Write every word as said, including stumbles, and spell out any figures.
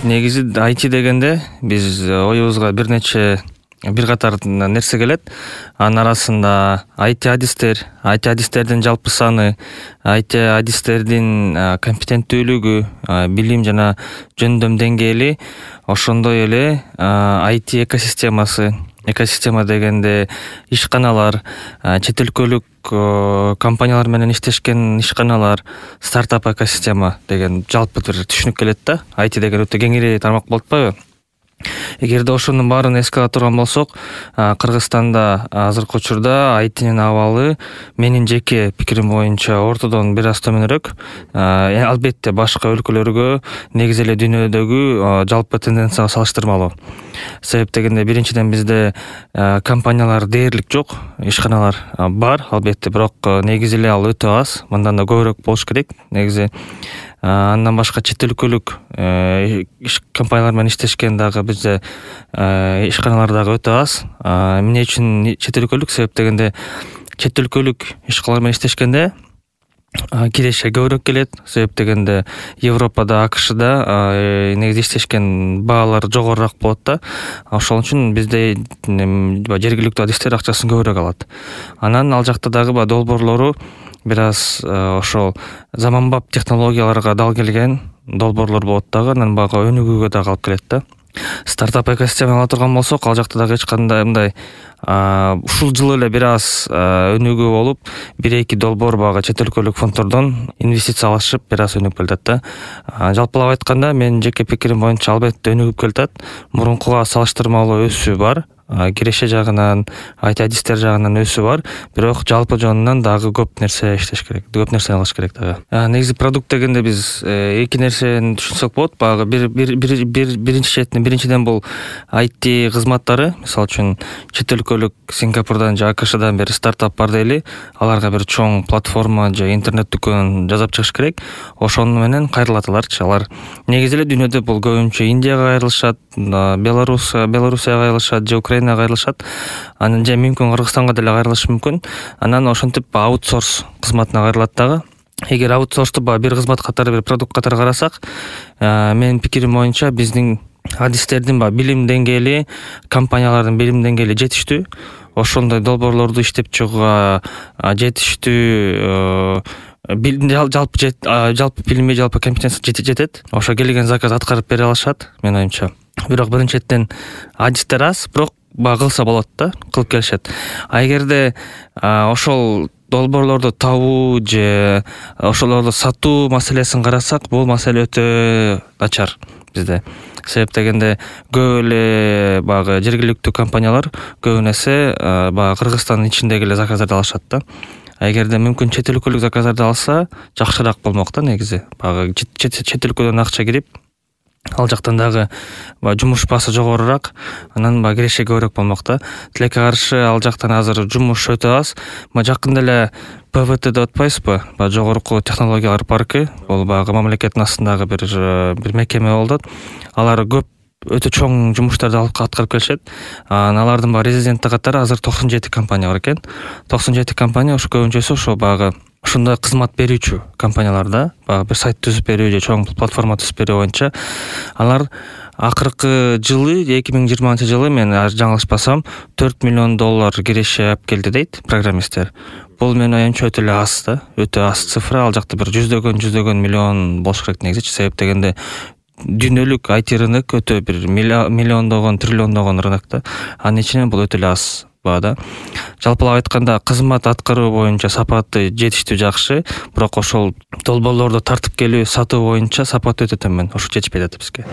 негизи ай ти дегенде биз оюбузга бир нече бир катар нерсе келет. Анын арасында ай ти адистер, ай ти адистердин жалпы саны, ай ти адистердин компетенттүүлүгү, билим жана жөндөм деңгээли, ошондой эле ай ти экосистемасы. Экосистема дегенде ишканалар, чет өлкөлүк компаниялар менен иштешкен ишканалар, стартап экосистема деген жалпы бир түшүнүк келет да. ай ти деген өтө кеңири тармак болуп атпайбы? Эгерде ошонун баарын эске ала турган болсок, Кыргызстанда азыркы учурда ай тинин абалы менин жеке пикирим боюнча ортодон бир аз төмөнүрөөк. Албетте башка өлкөлөргө, негизи эле дүйнөдөгү жалпы тенденцияга салыштырмалуу. Себеп дегенде биринчиден бизде компаниялар дээрлик жок, ишканалар бар албетте, бирок негизи эле ал өтө аз. Мындан да көбүрөөк болуш керек негизи. Андан башка чет өлкөлүк компаниялар менен иштешкен дагы бизде ишканалар дагы өтө аз. Эмне үчүн чет өлкөлүк? Себеп дегенде чет өлкөлүк ишканалар менен иштешкенде киреше көбүрөөк келет. Себеп дегенде Европада, АКШда негизи иштешкен баалар жогорураак болот да. Ошол үчүн бизде жергиликтүү адистер акчасын көбүрөөк алат. Анан ал жакта дагы долбоорлору бир аз ошол заманбап технологияларга дал келген долбоорлор болот дагы, анан бага өнүгүүгө дагы алып келет да. Стартап экосистема ала турган болсок, ал жакта дагы эч кандай мындай ушул жылы эле бир аз өнүгүү болуп, бир эки долбоор багы чет өлкөлүк фонддордон инвестиция алышып, бир аз өнүгүп келатат да. Жалпылап айтканда, менин жеке пикирим боюнча албетте өнүгүп келатат. Мурункуга салыштырмалуу өсүү бар. Киреше жагынан, ай ти адистер жагынан өсүү бар, бирок жалпы жонунан дагы көп нерсе иштеш керек, көп нерсе алыш керек дагы. Негизи продукт дегенде биз эки нерсени түшүнсөк болот. Багы бир бир бир биринчи четинен биринчиден бул ай ти кызматтары. Мисалы үчүн чет өлкөлүк Сингапурдан же АКШдан бери стартап бар дейли, аларга бир чоң платформа же интернет дүкөн жасап чыгыш керек. Ошону менен кайрылат аларчы. Алар негизи эле дүйнөдө бул көбүнчө Индияга кайрылышат, Беларусь, Белоруссияга кайрылышат же Украинага кайрылышат. Анан же мүмкүн Кыргызстанга деле кайрылышы мүмкүн. Анан ошентип аутсорс кызматына кайрылат дагы. Эгер аутсорсту бир кызмат катары, бир продукт катары карасак, менин пикирим боюнча биздин адистердин билим деңгээли, компаниялардын билим деңгээли жетиштүү. Ошондой долбоорлорду иштеп чыгууга жетиштүү жалпы жалпы билими, жалпы компетенция жетет. Ошо келген заказ аткарып бере алышат, менин оюмча. Бирок биринчиден адистер аз, бирок багы кылса болот да, кылып келишет. А эгерде ошол долбоорлорду табуу же ошолорду сатуу маселесин карасак, бул маселе өтө начар бизде. Себеп дегенде көп эле багы жергиликтүү компаниялар көбүн эсе багы Кыргызстандын ичиндеги эле заказдарды алышат да. Эгерде мүмкүн чет өлкөлүк заказдарды алса, жакшыраак болмок да негизи. Багы чет өлкөдөн акча кирип, ал жактан дагы жумуш баасы жогорураак, анан багы киреше көбүрөөк болмок да. Тилекке каршы ал жактан азыр жумуш өтө аз. Жакында эле пэ вэ тэ деп атпайсызбы? Жогорку технологиялар паркы, бул багы мамлекеттин астындагы бир бир мекеме болду. Алар көп өтө чоң жумуштарды аткарып келишет. Алардын баары резиденттик катары азыр токсон жети компания бар экен. токсон жети компания ошо көбүнчөсү ошо багы ушундай кызмат берүүчү компаниялар да. Багы бир сайт түзүп берүү же чоң платформа түзүп берүү боюнча. Алар акыркы жылы, эки миң жыйырманчы жылы, мен жаңылышпасам, төрт миллион доллар киреше алып келди дейт программисттер. Бул менин оюмча өтө эле аз да, өтө аз цифра. Ал жакта бир жүздөгөн, жүздөгөн миллион болуш керек негизи. Себеп дегенде дүйнөлүк ай ти рынок өтө бир миллиондогон, триллиондогон рынок да. Анын ичинен бул өтө эле аз баада. Жалпылап айтканда, кызмат аткаруу боюнча сапаты жетиштүү жакшы, бирок ошол долбоорлорду тартып келүү, сатуу боюнча сапаты өтө төмөн. Ошо жетишпей жатат бизге.